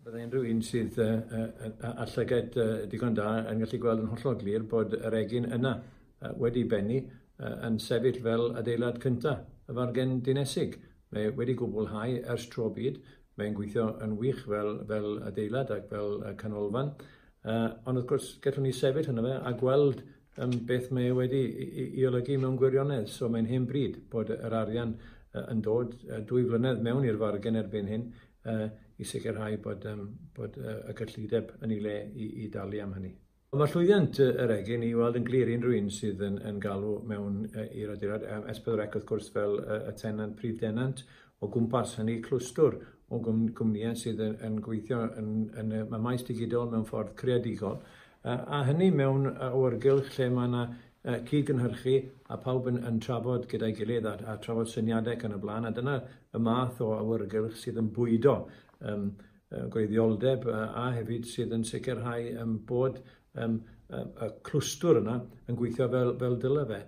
Byddai unrhyw un sydd â llygaid digon da yn gallu gweld yn hollol glir bod yr egin yna wedi bennu yn sefyll fel adeilad cyntaf y fargen dinesig. Mae wedi gwblhau ers tro byd, mae'n gweithio yn wych fel, fel adeilad ac fel canolfan. Ond wrth gwrs, gallwn ni sefyll yna fe a gweld beth mae e wedi i, i olygu mewn gwirionedd. So mae'n hen bryd bod yr arian yn dod 2 flynedd mewn i'r fargen erbyn hyn i sicrhau bod y gyllideb yn ei le i dalu am hynny. Mae llwyddiant yr egin i weld yn glir unrhyw un sydd yn galw mewn i'r adeilad. S4C wrth gwrs fel y tenant, prif denant, o gwmpas hynny clwstwr o gwmnïau sydd yn gweithio yn y maes digidol mewn ffordd creadigol. A hynny mewn awyrgylch lle mae yna cyd-gynhyrchu a pawb yn trafod gyda'i gilydd a trafod syniadau ac yn y blaen. A dyna y math o awyrgylch sydd yn bwydo gwreiddioldeb a hefyd sydd yn sicrhau bod y clwstwr yna yn gweithio fel dyle fe.